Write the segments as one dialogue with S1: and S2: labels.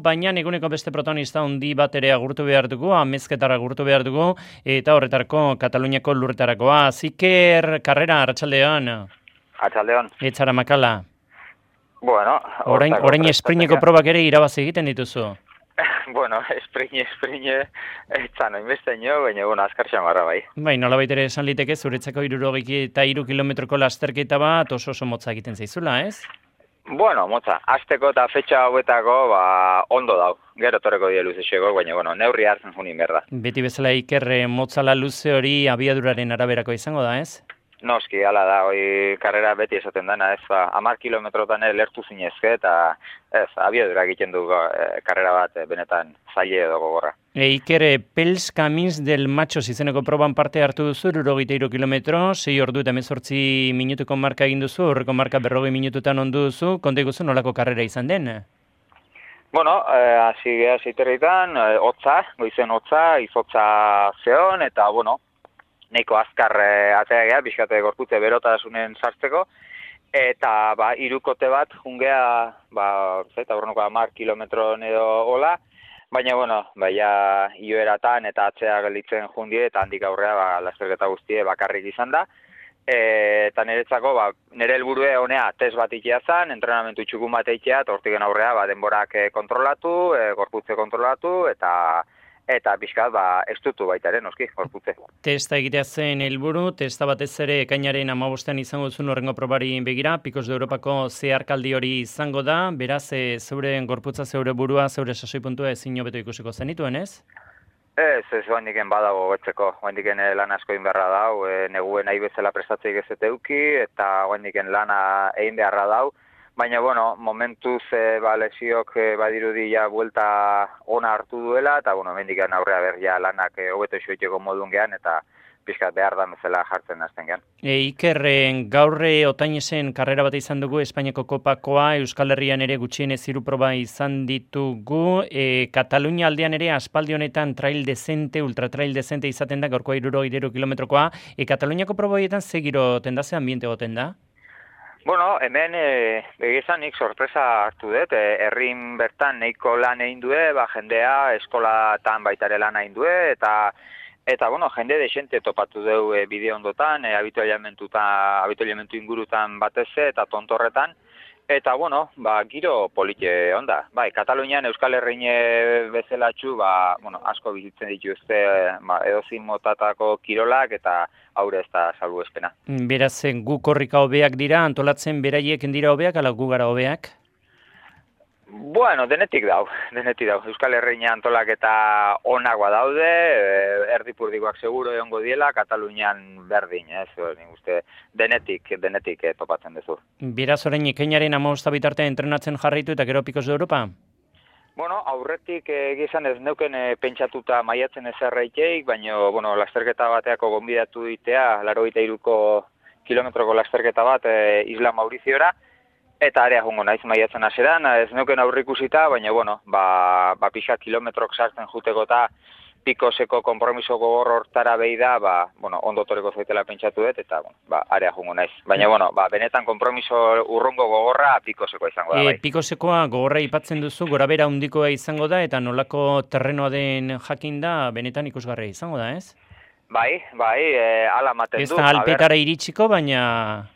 S1: baina eguneko beste protagonista handi bat ere agurtu behar dugu, amezketara agurtu behar dugu, eta horretarako Kataluniako lurretarakoa. Ziker Karrera, arratsaldean.
S2: Arratsaldean.
S1: Etzara makala.
S2: Bueno,
S1: orain esprineko probak ere irabazi egiten dituzu.
S2: Bueno, esprine, etzan oinbesteño, baina, azkar xamarra bai.
S1: Bai, nolabait ere esan liteke, zuretzako 63 kilometroko lasterketa bat oso motza egiten zaizula, ez?
S2: Bueno, motza, asteko eta fetxa hauetako, ondo dau. Gero torreko die luzexego, baina, neurri hartzen junin berda.
S1: Beti bezala Iker, motzala luze hori abiaduraren araberako izango da, ez?
S2: Noski, hala da, hoi karrera beti esaten dana, ez, 10 kilometrotan lertu zinezke, eta ez, abiadura egiten du karrera bat benetan zaile edo gogorra.
S1: Iker, Pels Camins del Machos izeneko proban parte hartu duzu, 63 kilometro, 6 ordu eta 18 minutuko marka egin duzu, horreko marka 40 minututan ondu duzu, konta iguzu nolako karrera izan den?
S2: Bueno, hasi geha zeiterritan, goizen hotza, izotza zeon, eta, nahiko azkar atea geha, bizkate gorputze berotasunen sartzeko, eta irukote bat jungea, aurrenoko 10 kilometron edo hola, baina, ja ioeratan eta atzea gelditzen jundie, eta handik aurrea lasterketa guztie bakarrik izan da, eta niretzako, nire helburue honea test bat ikia zan, entrenamentu txukun bat ikia, eta hortiken aurrea denborak kontrolatu, gorputze kontrolatu, eta pixkat, estutu baita ere, noski, gorputze.
S1: Testa egitea zen helburu, testa batez ere ekainaren 15 izango duzun horrengo probari begira, Pikos de Europako zeharkaldi hori izango da, beraz, zeure gorputza, zeure burua, zeure sasoi puntua ezin hobeto ikusiko zenituen, ez?
S2: Ez, oandiken badago gotzeko, oandiken lan asko inberra dau, neguen nahi bezala prestatzeik ez eteuki, eta oandiken lana egin beharra dau, baina, momentuz lesiok badirudi ja buelta ona hartu duela, eta, mendikan aurrea berria lanak hobeto xoiteko modun gehan, eta pixkat behar da bezala jartzen azten gehan. Iker,
S1: gaurre otainesen karrera bat izan dugu, Espainiako kopakoa, Euskal Herrian ere gutxienez 3 proba izan ditugu, Katalunia aldean ere aspaldi honetan trail dezente, ultratrail dezente izaten da, gaurkoa 63 kilometrokoa, Kataluniako proba horietan ze giro tenda, ze ambiente goten da?
S2: Hemen begizan nik sorpresa hartu dut, herrin bertan nahiko lan egin due, jendea eskolatan baitare lan egin due, eta jende desente topatu deu bideo ondotan, abitualiamentu ingurutan batez eta tontorretan, eta giro polite onda. Katalunian Euskal Herrine bezelatxu, asko bizitzen dituzte edozin motatako kirolak eta haure ez da salbuespena.
S1: Beraz, gu korrika hobeak dira, antolatzen beraiek dira hobeak, ala gu gara hobeak?
S2: Denetik dau. Euskal Herrina antolak eta onagoa daude, erdipurdikoak seguro egongo diela, Katalunian berdin, ez? Uste, denetik topatzen duzu.
S1: Beraz, orain ekainaren 15 bitarte entrenatzen jarraitu eta gero Pikos de Europa?
S2: Aurretik egizan ez neuken pentsatuta maiatzen ezerreiteik, baina, lasterketa bateako gonbidatu ditea, 83 kilometroko lasterketa bat Isla Mauriziora, eta area jungo naiz maiatzen haseran, ez neuken aurrikusita, baina, pixka kilometrok sartzen juteko eta Pikoseko konpromiso gogor hortara behi da, ondo toreko zaitela pentsatu dut, eta, area jungo naiz. Baina, benetan konpromiso urrungo gogorra Pikoseko izango da, bai.
S1: Pikosekoa gogorra ipatzen duzu, gorabera handikoa izango da, eta nolako terrenoa den jakin da, benetan ikusgarria izango da, ez?
S2: Bai, ala maten du.
S1: Ez da alpetara iritsiko, baina...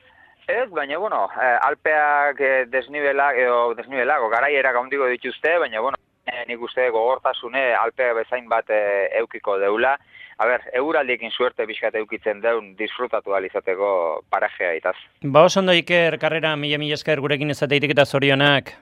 S2: Ez, baina, alpeak desnibelak, garaierak handiko dituzte, baina, nik uste gogortasune alpea bezain bat eukiko deula. Euraldiekin suerte bizkat eukitzen deun disfrutatu alizateko parajea itaz.
S1: Oso ondo Iker, karrera, mila esker gurekin ezateitik eta zorionak.